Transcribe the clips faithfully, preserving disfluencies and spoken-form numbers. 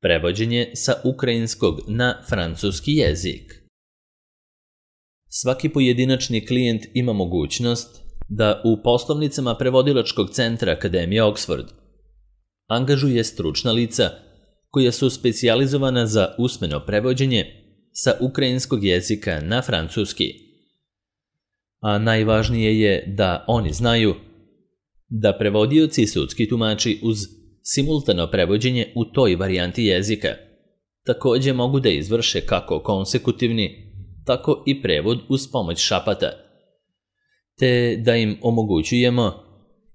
Prevođenje sa ukrajinskog na francuski jezik. Svaki pojedinačni klijent ima mogućnost da u poslovnicama prevodilačkog centra Akademije Oxford angažuje stručna lica koja su specijalizovana za usmeno prevođenje sa ukrajinskog jezika na francuski. A najvažnije je da oni znaju da prevodioci i sudski tumači uz simultano prevođenje u toj varijanti jezika također mogu da izvrše kako konsekutivni, tako i prevod uz pomoć šapata, te da im omogućujemo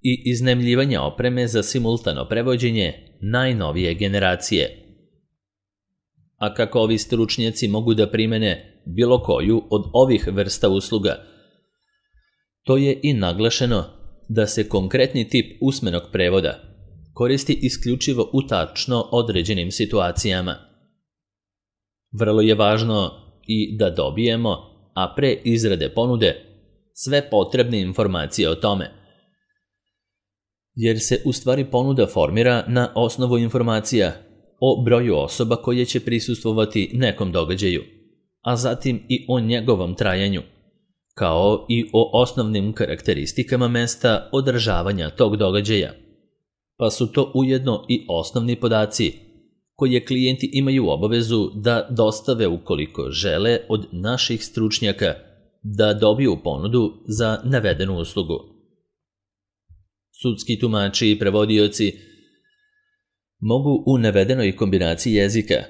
i iznajmljivanje opreme za simultano prevođenje najnovije generacije. A kako ovi stručnjaci mogu da primene bilo koju od ovih vrsta usluga, to je i naglašeno da se konkretni tip usmenog prevoda koristi isključivo u tačno određenim situacijama. Vrlo je važno i da dobijemo, a pre izrade ponude, sve potrebne informacije o tome, jer se u stvari ponuda formira na osnovu informacija o broju osoba koje će prisustvovati nekom događaju, a zatim i o njegovom trajanju, kao i o osnovnim karakteristikama mesta održavanja tog događaja, pa su to ujedno i osnovni podaci koje klijenti imaju obavezu da dostave ukoliko žele od naših stručnjaka da dobiju ponudu za navedenu uslugu. Sudski tumači i prevodioci mogu u navedenoj kombinaciji jezika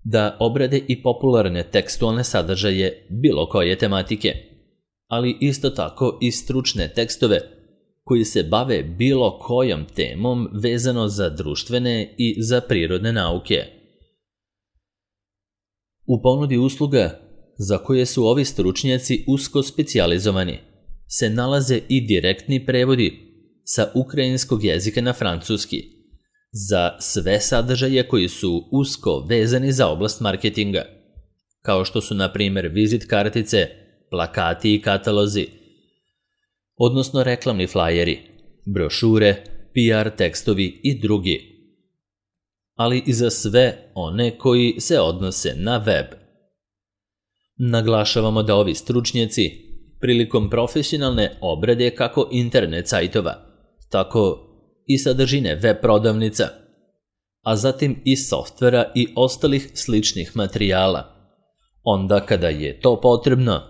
da obrade i popularne tekstualne sadržaje bilo koje tematike, ali isto tako i stručne tekstove koji se bave bilo kojom temom vezano za društvene i za prirodne nauke. U ponudi usluga za koje su ovi stručnjaci usko specijalizovani se nalaze i direktni prevodi sa ukrajinskog jezika na francuski za sve sadržaje koji su usko vezani za oblast marketinga, kao što su na primjer vizit kartice, plakati i katalozi, odnosno reklamni flajeri, brošure, P R tekstovi i drugi, ali i za sve one koji se odnose na web. Naglašavamo da ovi stručnjaci prilikom profesionalne obrade kako internet sajtova, tako i sadržine web prodavnica, a zatim i softvera i ostalih sličnih materijala, onda kada je to potrebno,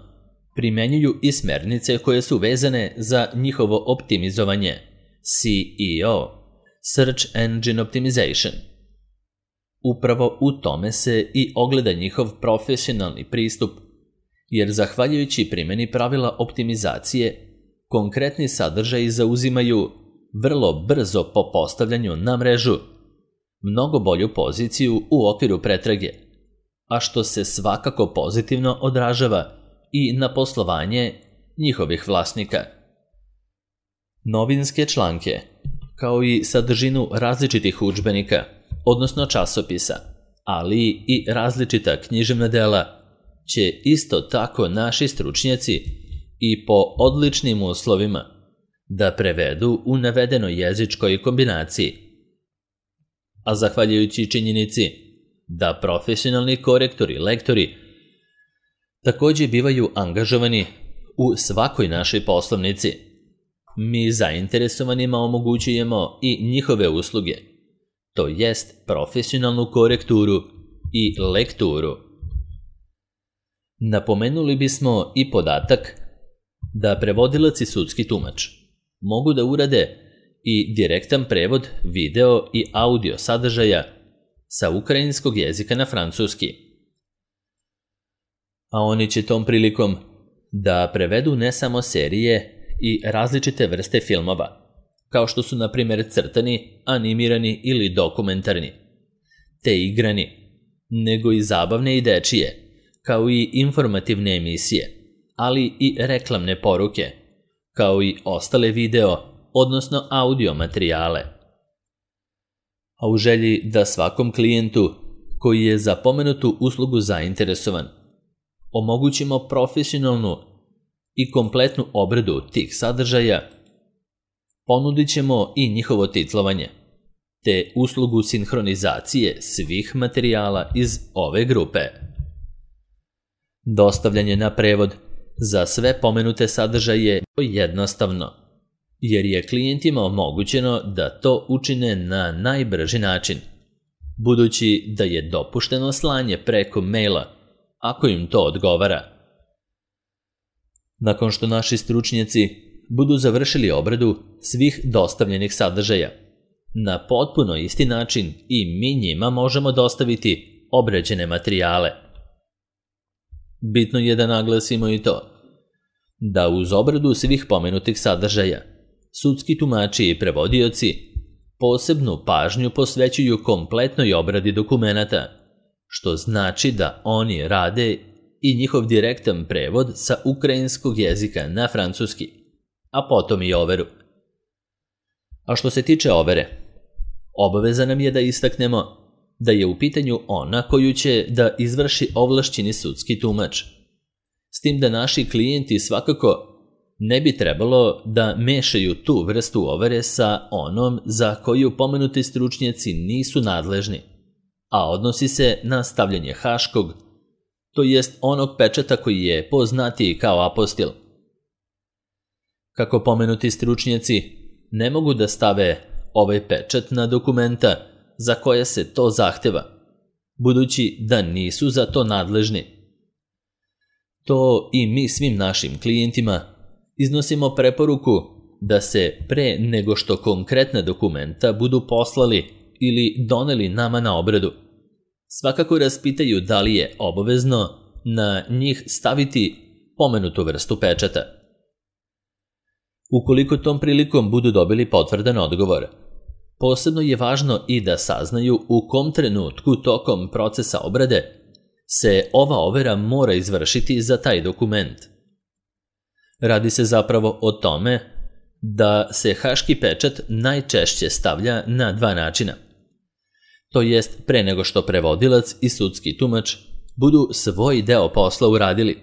primenjuju i smernice koje su vezane za njihovo optimizovanje, S E O, Search Engine Optimization. Upravo u tome se i ogleda njihov profesionalni pristup, jer zahvaljujući primjeni pravila optimizacije, konkretni sadržaji zauzimaju vrlo brzo po postavljanju na mrežu mnogo bolju poziciju u okviru pretrage, a što se svakako pozitivno odražava i na poslovanje njihovih vlasnika. Novinske članke, kao i sadržinu različitih udžbenika, odnosno časopisa, ali i različita književna dela, će isto tako naši stručnjaci i po odličnim uslovima da prevedu u navedenoj jezičkoj kombinaciji. A zahvaljujući činjenici da profesionalni korektori, lektori također bivaju angažovani u svakoj našoj poslovnici, mi zainteresovanima omogućujemo i njihove usluge, to jest profesionalnu korekturu i lekturu. Napomenuli bismo i podatak da prevodilac i sudski tumač mogu da urade i direktan prevod video i audio sadržaja sa ukrajinskog jezika na francuski. A oni će tom prilikom da prevedu ne samo serije i različite vrste filmova, kao što su na primjer crtani, animirani ili dokumentarni, te igrani, nego i zabavne i dečije, kao i informativne emisije, ali i reklamne poruke, kao i ostale video, odnosno audio materijale. A u želji da svakom klijentu koji je za pomenutu uslugu zainteresovan omogućimo profesionalnu i kompletnu obradu tih sadržaja, ponudit ćemo i njihovo titlovanje, te uslugu sinhronizacije svih materijala iz ove grupe. Dostavljanje na prevod za sve pomenute sadržaje je jednostavno, jer je klijentima omogućeno da to učine na najbrži način, budući da je dopušteno slanje preko maila, ako im to odgovara. Nakon što naši stručnjaci budu završili obradu svih dostavljenih sadržaja, na potpuno isti način i mi njima možemo dostaviti obrađene materijale. Bitno je da naglasimo i to, da uz obradu svih pomenutih sadržaja, sudski tumači i prevodioci posebnu pažnju posvećuju kompletnoj obradi dokumenata, što znači da oni rade i njihov direktan prevod sa ukrajinskog jezika na francuski, a potom i overu. A što se tiče overe, obaveza nam je da istaknemo da je u pitanju ona koju će da izvrši ovlašćeni sudski tumač, s tim da naši klijenti svakako ne bi trebalo da mešaju tu vrstu overe sa onom za koju pomenuti stručnjaci nisu nadležni, a odnosi se na stavljanje haškog, to jest onog pečata koji je poznatiji kao apostil. Kako pomenuti stručnjaci ne mogu da stave ovaj pečat na dokumenta za koje se to zahteva, budući da nisu za to nadležni. To i mi svim našim klijentima iznosimo preporuku da se pre nego što konkretna dokumenta budu poslali ili doneli nama na obradu, svakako raspitaju da li je obavezno na njih staviti pomenutu vrstu pečata. Ukoliko tom prilikom budu dobili potvrdan odgovor, posebno je važno i da saznaju u kom trenutku tokom procesa obrade se ova overa mora izvršiti za taj dokument. Radi se zapravo o tome da se haški pečat najčešće stavlja na dva načina. To jest pre nego što prevodilac i sudski tumač budu svoj deo posla uradili,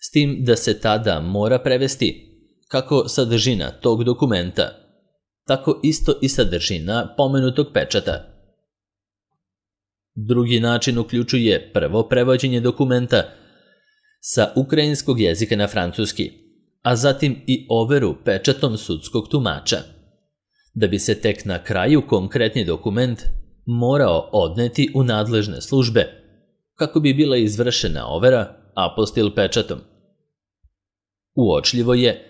s tim da se tada mora prevesti kako sadržina tog dokumenta, tako isto i sadržina pomenutog pečata. Drugi način uključuje prvo prevođenje dokumenta sa ukrajinskog jezika na francuski, a zatim i overu pečatom sudskog tumača, da bi se tek na kraju konkretni dokument morao odneti u nadležne službe, kako bi bila izvršena overa apostil pečatom. Uočljivo je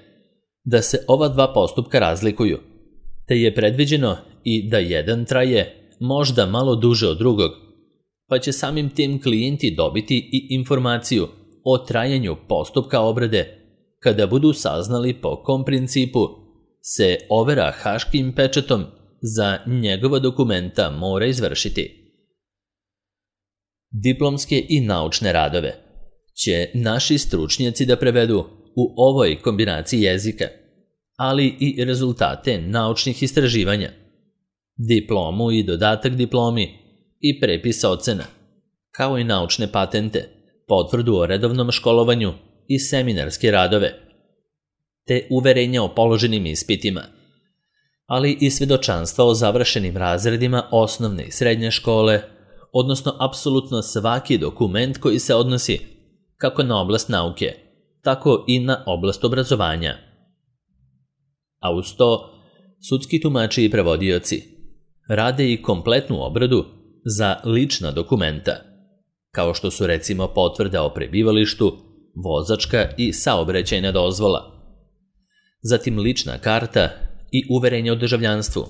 da se ova dva postupka razlikuju, te je predviđeno i da jedan traje možda malo duže od drugog, pa će samim tim klijenti dobiti i informaciju o trajanju postupka obrade kada budu saznali po kom principu se overa haškim pečatom za njegova dokumenta mora izvršiti. Diplomske i naučne radove će naši stručnjaci da prevedu u ovoj kombinaciji jezika, ali i rezultate naučnih istraživanja, diplomu i dodatak diplomi i prepis ocena, kao i naučne patente, potvrdu o redovnom školovanju i seminarske radove, te uverenja o položenim ispitima, ali i svedočanstva o završenim razredima osnovne i srednje škole, odnosno apsolutno svaki dokument koji se odnosi kako na oblast nauke, tako i na oblast obrazovanja. A uz to, sudski tumači i prevodioci rade i kompletnu obradu za lična dokumenta, kao što su recimo potvrda o prebivalištu, vozačka i saobraćajna dozvola, zatim lična karta i uverenje o državljanstvu,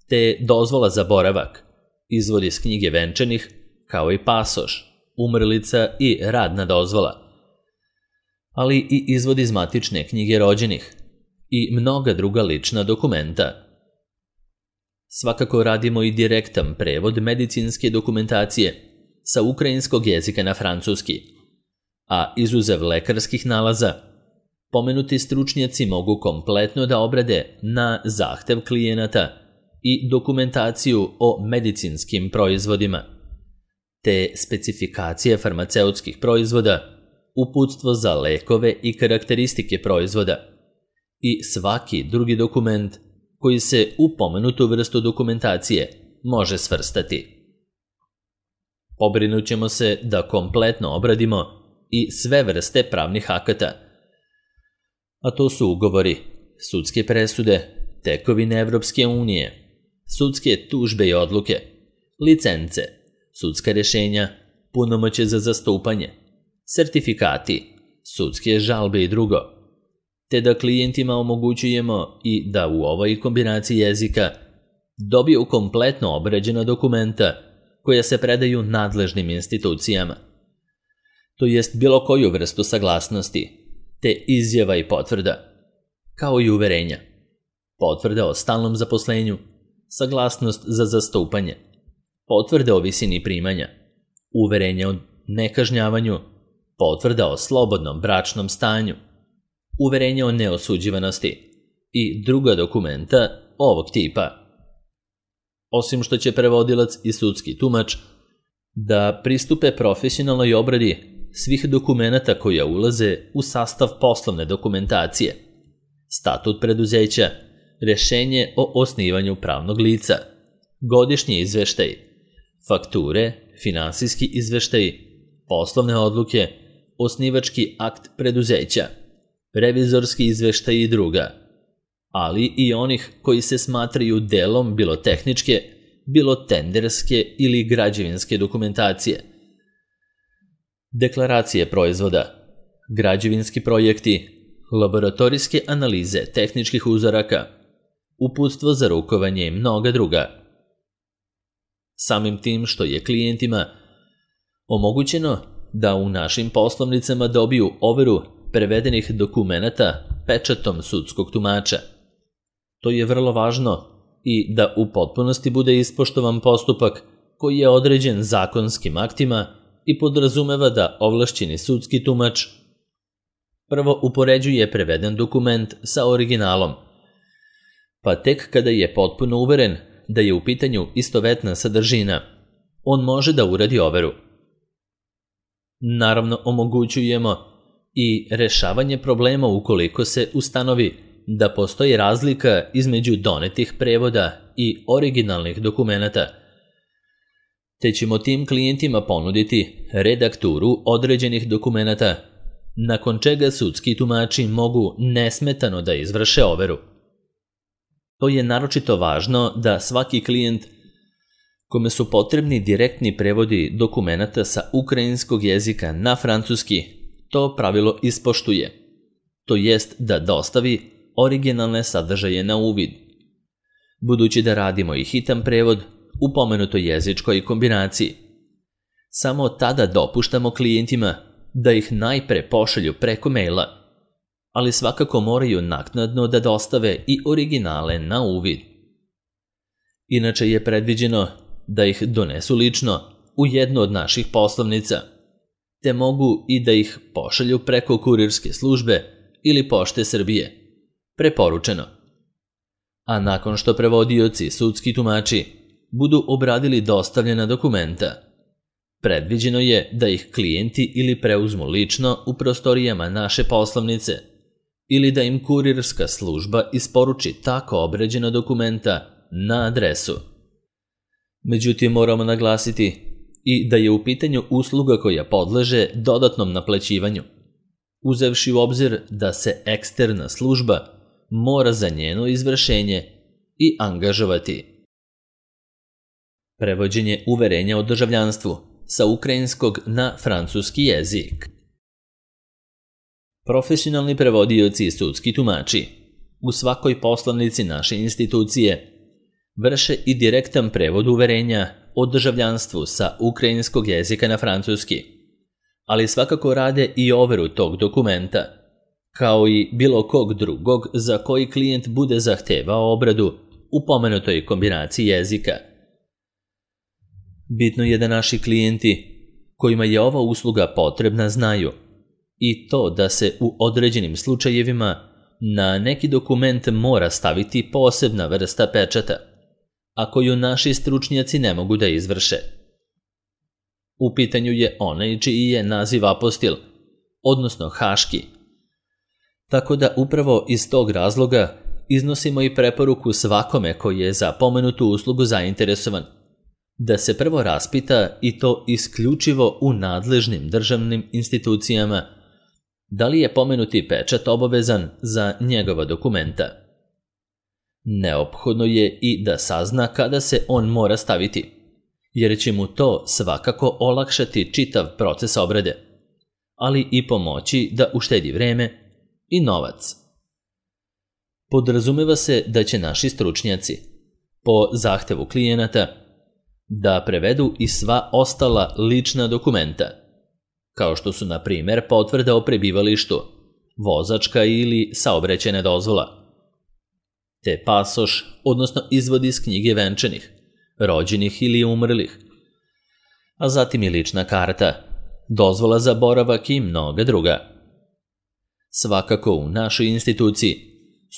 te dozvola za boravak, izvod iz knjige venčanih, kao i pasoš, umrlica i radna dozvola, ali i izvod iz matične knjige rođenih i mnoga druga lična dokumenta. Svakako radimo i direktan prevod medicinske dokumentacije sa ukrajinskog jezika na francuski, a izuzev lekarskih nalaza, pomenuti stručnjaci mogu kompletno da obrade na zahtev klijenata i dokumentaciju o medicinskim proizvodima, te specifikacije farmaceutskih proizvoda, uputstvo za lekove i karakteristike proizvoda i svaki drugi dokument koji se u pomenutu vrstu dokumentacije može svrstati. Pobrinut ćemo se da kompletno obradimo i sve vrste pravnih akata, a to su ugovori, sudske presude, tekovine Evropske unije, sudske tužbe i odluke, licence, sudska rješenja, punomoćje za zastupanje, sertifikati, sudske žalbe i drugo, te da klijentima omogućujemo i da u ovoj kombinaciji jezika dobiju kompletno obrađena dokumenta koja se predaju nadležnim institucijama, to jest bilo koju vrstu saglasnosti, te izjava i potvrda, kao i uverenja, potvrda o stalnom zaposlenju, saglasnost za zastupanje, potvrda o visini primanja, uverenja o nekažnjavanju, potvrda o slobodnom bračnom stanju, uverenja o neosuđivanosti i druga dokumenta ovog tipa. Osim što će prevodilac i sudski tumač da pristupe profesionalnoj obradi svih dokumenata koja ulaze u sastav poslovne dokumentacije, statut preduzeća, rješenje o osnivanju pravnog lica, godišnji izveštaj, fakture, finansijski izveštaj, poslovne odluke, osnivački akt preduzeća, revizorski izveštaj i druga, ali i onih koji se smatraju delom bilo tehničke, bilo tenderske ili građevinske dokumentacije, deklaracije proizvoda, građevinski projekti, laboratorijske analize tehničkih uzoraka, uputstvo za rukovanje i mnoga druga. Samim tim što je klijentima omogućeno da u našim poslovnicama dobiju overu prevedenih dokumenata pečatom sudskog tumača. To je vrlo važno i da u potpunosti bude ispoštovan postupak koji je određen zakonskim aktima i podrazumeva da ovlašćeni sudski tumač prvo upoređuje preveden dokument sa originalom, pa tek kada je potpuno uveren da je u pitanju istovetna sadržina, on može da uradi overu. Naravno, omogućujemo i rešavanje problema ukoliko se ustanovi da postoji razlika između donetih prevoda i originalnih dokumenata, te ćemo tim klijentima ponuditi redakturu određenih dokumenata, nakon čega sudski tumači mogu nesmetano da izvrše overu. To je naročito važno da svaki klijent kome su potrebni direktni prevodi dokumenata sa ukrajinskog jezika na francuski to pravilo ispoštuje, to jest da dostavi originalne sadržaje na uvid. Budući da radimo i hitan prevod u pomenutoj jezičkoj kombinaciji, samo tada dopuštamo klijentima da ih najpre pošalju preko maila, ali svakako moraju naknadno da dostave i originale na uvid. Inače je predviđeno da ih donesu lično u jednu od naših poslovnica, te mogu i da ih pošalju preko kurirske službe ili Pošte Srbije, preporučeno. A nakon što prevodioci i sudski tumači budu obradili dostavljena dokumenta, predviđeno je da ih klijenti ili preuzmu lično u prostorijama naše poslovnice ili da im kurirska služba isporuči tako obrađena dokumenta na adresu. Međutim, moramo naglasiti i da je u pitanju usluga koja podleže dodatnom naplaćivanju, uzevši u obzir da se eksterna služba mora za njeno izvršenje i angažovati. Prevođenje uverenja o državljanstvu sa ukrajinskog na francuski jezik. Profesionalni prevodioci i sudski tumači u svakoj poslovnici naše institucije vrše i direktan prevod uverenja o državljanstvu sa ukrajinskog jezika na francuski, ali svakako rade i overu tog dokumenta, kao i bilo kog drugog za koji klijent bude zahtevao obradu u pomenutoj kombinaciji jezika. Bitno je da naši klijenti kojima je ova usluga potrebna znaju i to da se u određenim slučajevima na neki dokument mora staviti posebna vrsta pečata, a koju naši stručnjaci ne mogu da izvrše. U pitanju je onaj čiji je naziv apostil, odnosno haški. Tako da upravo iz tog razloga iznosimo i preporuku svakome koji je za pomenutu uslugu zainteresovan da se prvo raspita, i to isključivo u nadležnim državnim institucijama, da li je pomenuti pečat obavezan za njegova dokumenta. Neophodno je i da sazna kada se on mora staviti, jer će mu to svakako olakšati čitav proces obrade, ali i pomoći da uštedi vreme i novac. Podrazumeva se da će naši stručnjaci, po zahtevu klijenata, da prevedu i sva ostala lična dokumenta, kao što su, na primjer, potvrda o prebivalištu, vozačka ili saobraćajna dozvola, te pasoš, odnosno izvod iz knjige venčanih, rođenih ili umrlih, a zatim i lična karta, dozvola za boravak i mnoga druga. Svakako u našoj instituciji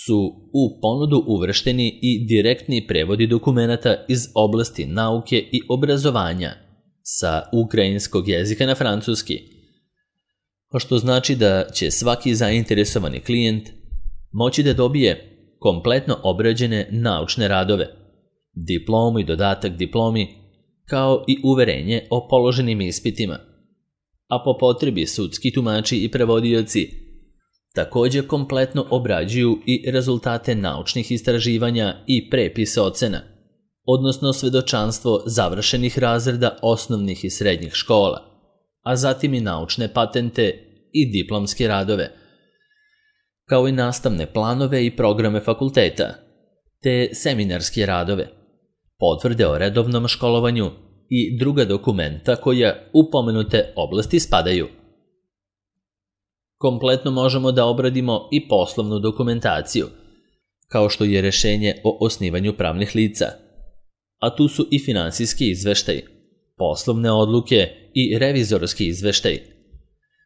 su u ponudu uvršteni i direktni prevodi dokumenata iz oblasti nauke i obrazovanja sa ukrajinskog jezika na francuski, što znači da će svaki zainteresovani klijent moći da dobije kompletno obrađene naučne radove, diplomu i dodatak diplomi, kao i uverenje o položenim ispitima, a po potrebi sudski tumači i prevodioci također kompletno obrađuju i rezultate naučnih istraživanja i prepise ocena, odnosno svedočanstvo završenih razreda osnovnih i srednjih škola, a zatim i naučne patente i diplomske radove, kao i nastavne planove i programe fakulteta, te seminarske radove, potvrde o redovnom školovanju i druga dokumenta koja u pomenute oblasti spadaju. Kompletno možemo da obradimo i poslovnu dokumentaciju, kao što je rešenje o osnivanju pravnih lica, a tu su i finansijski izveštaj, poslovne odluke i revizorski izveštaj,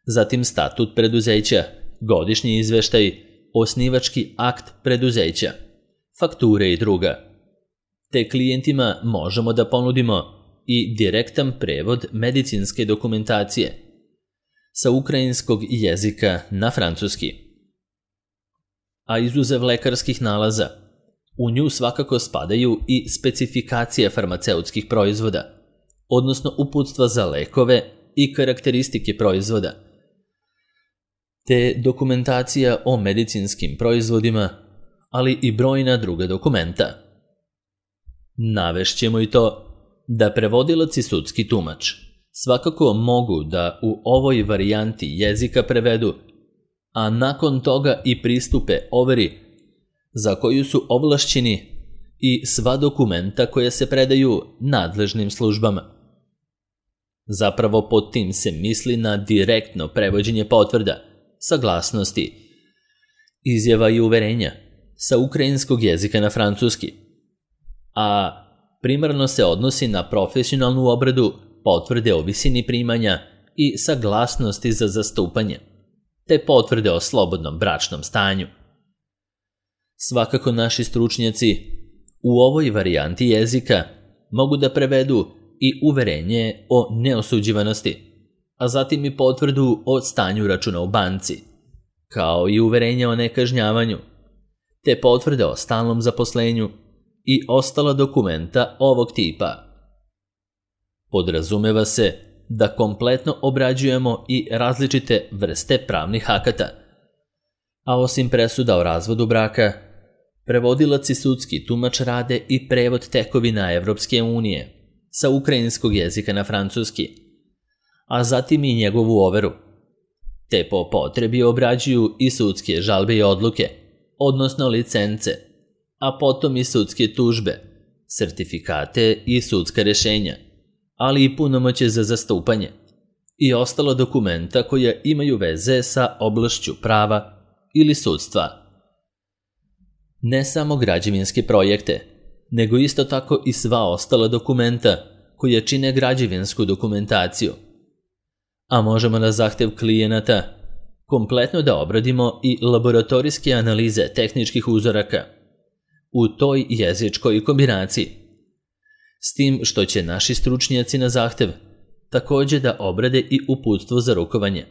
zatim statut preduzeća, godišnji izveštaj, osnivački akt preduzeća, fakture i druga. Te klijentima možemo da ponudimo i direktan prevod medicinske dokumentacije sa ukrajinskog jezika na francuski. A izuzev lekarskih nalaza, u nju svakako spadaju i specifikacije farmaceutskih proizvoda, odnosno uputstva za lekove i karakteristike proizvoda, te dokumentacija o medicinskim proizvodima, ali i brojna druga dokumenta. Navešćemo i to da prevodilac i sudski tumač svakako mogu da u ovoj varijanti jezika prevedu, a nakon toga i pristupe overi za koju su ovlašćeni i sva dokumenta koja se predaju nadležnim službama. Zapravo pod tim se misli na direktno prevođenje potvrda, saglasnosti, izjava i uverenja sa ukrajinskog jezika na francuski, a primarno se odnosi na profesionalnu obradu, potvrde o visini primanja i saglasnosti za zastupanje, te potvrde o slobodnom bračnom stanju. Svakako naši stručnjaci u ovoj varijanti jezika mogu da prevedu i uverenje o neosuđivanosti, a zatim i potvrdu o stanju računa u banci, kao i uverenje o nekažnjavanju, te potvrde o stalnom zaposlenju i ostala dokumenta ovog tipa. Podrazumeva se da kompletno obrađujemo i različite vrste pravnih akata, a osim presuda o razvodu braka, prevodilac i sudski tumač rade i prevod tekovina Evropske unije sa ukrajinskog jezika na francuski, a zatim i njegovu overu, te po potrebi obrađuju i sudske žalbe i odluke, odnosno licence, a potom i sudske tužbe, sertifikate i sudska rešenja, ali i punomoćje za zastupanje i ostala dokumenta koja imaju veze sa oblašću prava ili sudstva. Ne samo građevinske projekte, nego isto tako i sva ostala dokumenta koja čine građevinsku dokumentaciju. A možemo na zahtev klijenata kompletno da obradimo i laboratorijske analize tehničkih uzoraka u toj jezičkoj kombinaciji, s tim što će naši stručnjaci na zahtev također da obrade i uputstvo za rukovanje,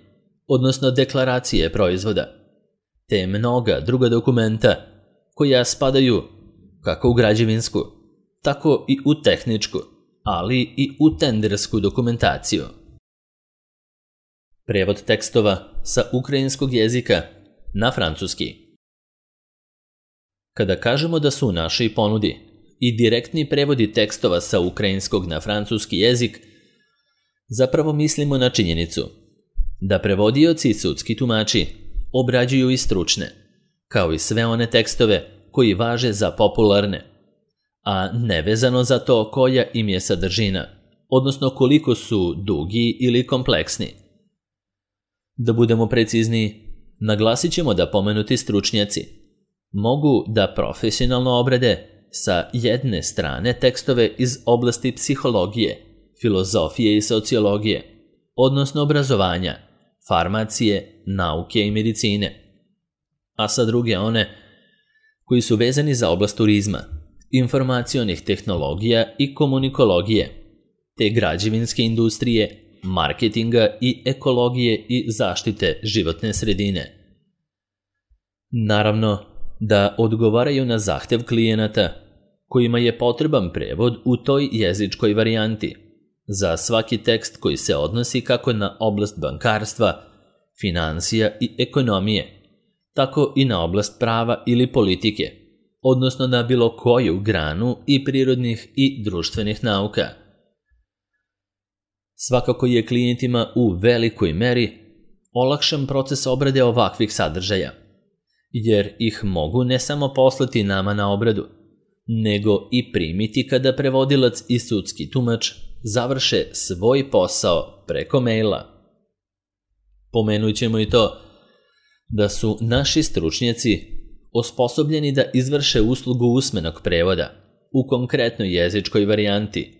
odnosno deklaracije proizvoda, te mnoga druga dokumenta koja spadaju kako u građevinsku, tako i u tehničku ali i u tendersku dokumentaciju. Prevod tekstova sa ukrajinskog jezika na francuski. Kada kažemo da su u našoj ponudi i direktni prevodi tekstova sa ukrajinskog na francuski jezik, zapravo mislimo na činjenicu da prevodioci i sudski tumači obrađuju i stručne, kao i sve one tekstove koji važe za popularne, a nevezano za to koja im je sadržina, odnosno koliko su dugi ili kompleksni. Da budemo precizniji, naglasit ćemo da pomenuti stručnjaci mogu da profesionalno obrade sa jedne strane tekstove iz oblasti psihologije, filozofije i sociologije, odnosno obrazovanja, farmacije, nauke i medicine, a sa druge one koji su vezani za oblast turizma, informacionih tehnologija i komunikologije, te građevinske industrije, marketinga i ekologije i zaštite životne sredine. Naravno da odgovaraju na zahtev klijenata kojima je potreban prevod u toj jezičkoj varijanti za svaki tekst koji se odnosi kako na oblast bankarstva, finansija i ekonomije, tako i na oblast prava ili politike, odnosno na bilo koju granu i prirodnih i društvenih nauka. Svakako je klijentima u velikoj meri olakšan proces obrade ovakvih sadržaja, jer ih mogu ne samo poslati nama na obradu, nego i primiti kada prevodilac i sudski tumač završe svoj posao preko maila. Pomenut ćemo i to da su naši stručnjaci osposobljeni da izvrše uslugu usmenog prevoda u konkretnoj jezičkoj varijanti,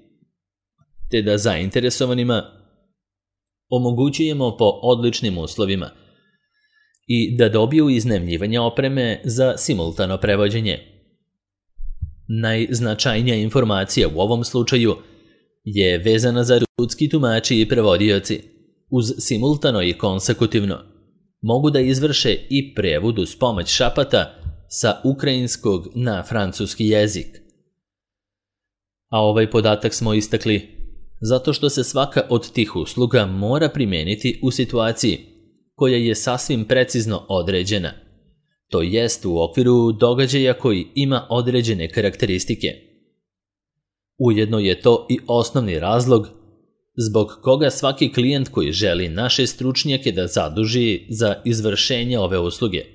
te da zainteresovanima omogućujemo po odličnim uslovima i da dobiju iznajmljivanje opreme za simultano prevođenje. Najznačajnija informacija u ovom slučaju je vezana za sudski tumači i prevodioci. Uz simultano i konsekutivno mogu da izvrše i prevod uz pomoć šapata sa ukrajinskog na francuski jezik. A ovaj podatak smo istakli zato što se svaka od tih usluga mora primeniti u situaciji koja je sasvim precizno određena, to jest u okviru događaja koji ima određene karakteristike. Ujedno je to i osnovni razlog zbog koga svaki klijent koji želi naše stručnjake da zaduži za izvršenje ove usluge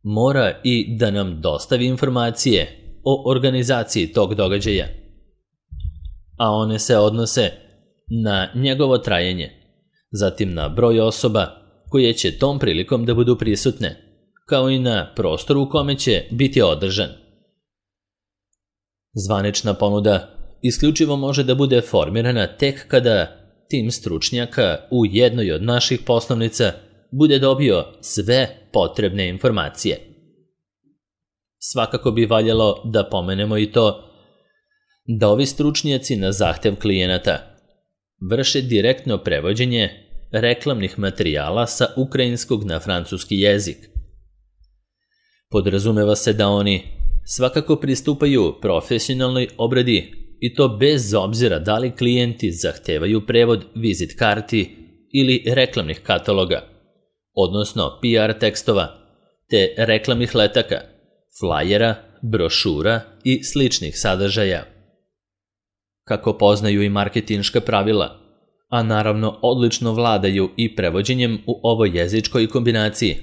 mora i da nam dostavi informacije o organizaciji tog događaja, a one se odnose na njegovo trajanje, zatim na broj osoba koje će tom prilikom da budu prisutne, kao i na prostoru u kome će biti održan. Zvanična ponuda isključivo može da bude formirana tek kada tim stručnjaka u jednoj od naših poslovnica bude dobio sve potrebne informacije. Svakako bi valjalo da pomenemo i to da ovi stručnjaci na zahtev klijenata vrše direktno prevođenje reklamnih materijala sa ukrajinskog na francuski jezik. Podrazumeva se da oni svakako pristupaju profesionalnoj obradi i to bez obzira da li klijenti zahtevaju prevod vizit karti ili reklamnih kataloga, odnosno P R tekstova, te reklamnih letaka, flajera, brošura i sličnih sadržaja. Kako poznaju i marketinška pravila, a naravno odlično vladaju i prevođenjem u ovoj jezičkoj kombinaciji,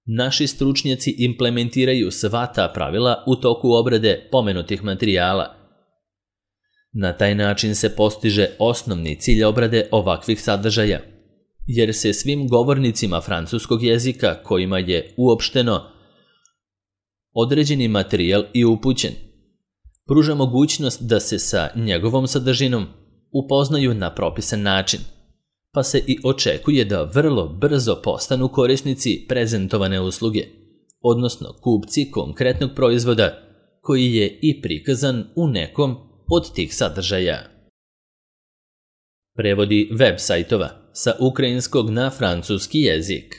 naši stručnjaci implementiraju sva ta pravila u toku obrade pomenutih materijala. Na taj način se postiže osnovni cilj obrade ovakvih sadržaja, jer se svim govornicima francuskog jezika kojima je uopšteno određeni materijal i upućen pruža mogućnost da se sa njegovom sadržinom upoznaju na propisan način, pa se i očekuje da vrlo brzo postanu korisnici prezentovane usluge, odnosno kupci konkretnog proizvoda koji je i prikazan u nekom od tih sadržaja. Prevodi web sajtova sa ukrajinskog na francuski jezik.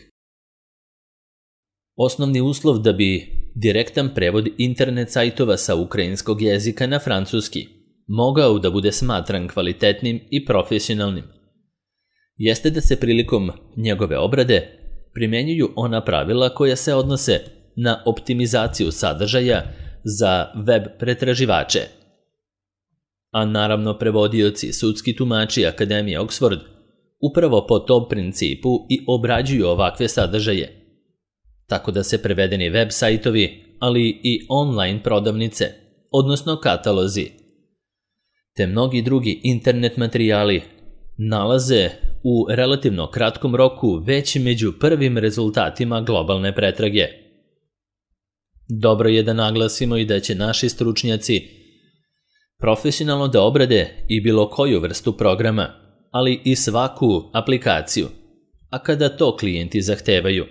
Osnovni uslov da bi direktan prevod internet sajtova sa ukrajinskog jezika na francuski mogao da bude smatran kvalitetnim i profesionalnim, jeste da se prilikom njegove obrade primenjuju ona pravila koja se odnose na optimizaciju sadržaja za web pretraživače. A naravno prevodioci, sudski tumači Akademije Oxford upravo po tom principu i obrađuju ovakve sadržaje, tako da se prevedeni web sajtovi, ali i online prodavnice, odnosno katalozi, te mnogi drugi internet materijali nalaze u relativno kratkom roku već među prvim rezultatima globalne pretrage. Dobro je da naglasimo i da će naši stručnjaci profesionalno da obrade i bilo koju vrstu programa, ali i svaku aplikaciju, a kada to klijenti zahtevaju.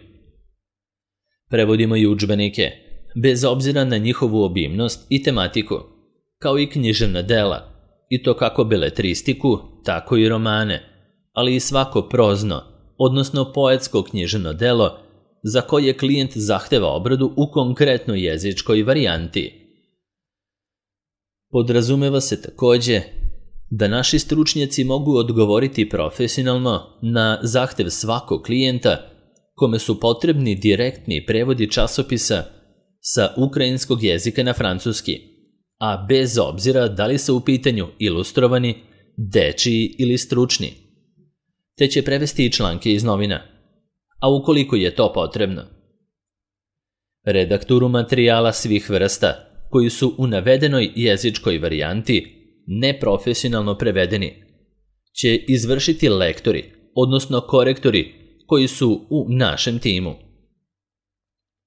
Prevodimo i udžbenike, bez obzira na njihovu obimnost i tematiku, kao i književna dela, i to kako beletristiku, tako i romane, ali i svako prozno, odnosno poetsko književno delo za koje klijent zahteva obradu u konkretnoj jezičkoj varijanti. Podrazumeva se takođe da naši stručnjaci mogu odgovoriti profesionalno na zahtev svakog klijenta kome su potrebni direktni prevodi časopisa sa ukrajinskog jezika na francuski, a bez obzira da li su u pitanju ilustrovani, dečiji ili stručni, te će prevesti i članke iz novina, a ukoliko je to potrebno. Redakturu materijala svih vrsta koji su u navedenoj jezičkoj varijanti neprofesionalno prevedeni će izvršiti lektori, odnosno korektori koji su u našem timu.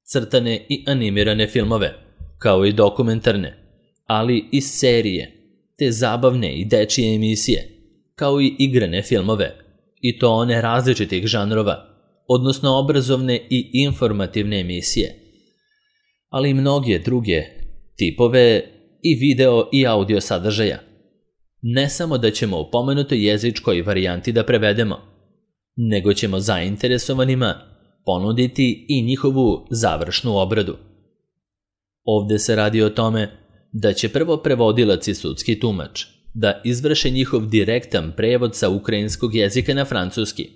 Crtane i animirane filmove, kao i dokumentarne, ali i serije, te zabavne i dečije emisije, kao i igrane filmove, i to one različitih žanrova, odnosno obrazovne i informativne emisije, ali i mnoge druge tipove i video i audio sadržaja. Ne samo da ćemo u pomenutoj jezičkoj varijanti da prevedemo, nego ćemo zainteresovanima ponuditi i njihovu završnu obradu. Ovde se radi o tome da će prvo prevodilac i sudski tumač da izvrše njihov direktan prevod sa ukrajinskog jezika na francuski,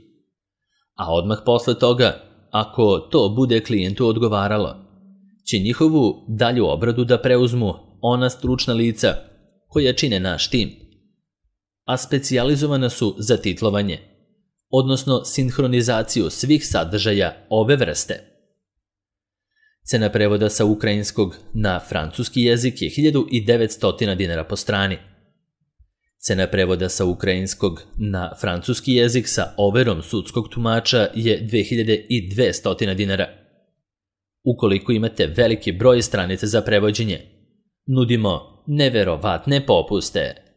a odmah posle toga, ako to bude klijentu odgovaralo, će njihovu dalju obradu da preuzmu ona stručna lica koja čine naš tim, a specijalizovana su za titlovanje, odnosno sinhronizaciju svih sadržaja ove vrste. Cena prevoda sa ukrajinskog na francuski jezik je hiljadu devetsto dinara po strani. Cena prevoda sa ukrajinskog na francuski jezik sa overom sudskog tumača je dve hiljade dvesta dinara. Ukoliko imate veliki broj stranica za prevođenje, nudimo neverovatne popuste.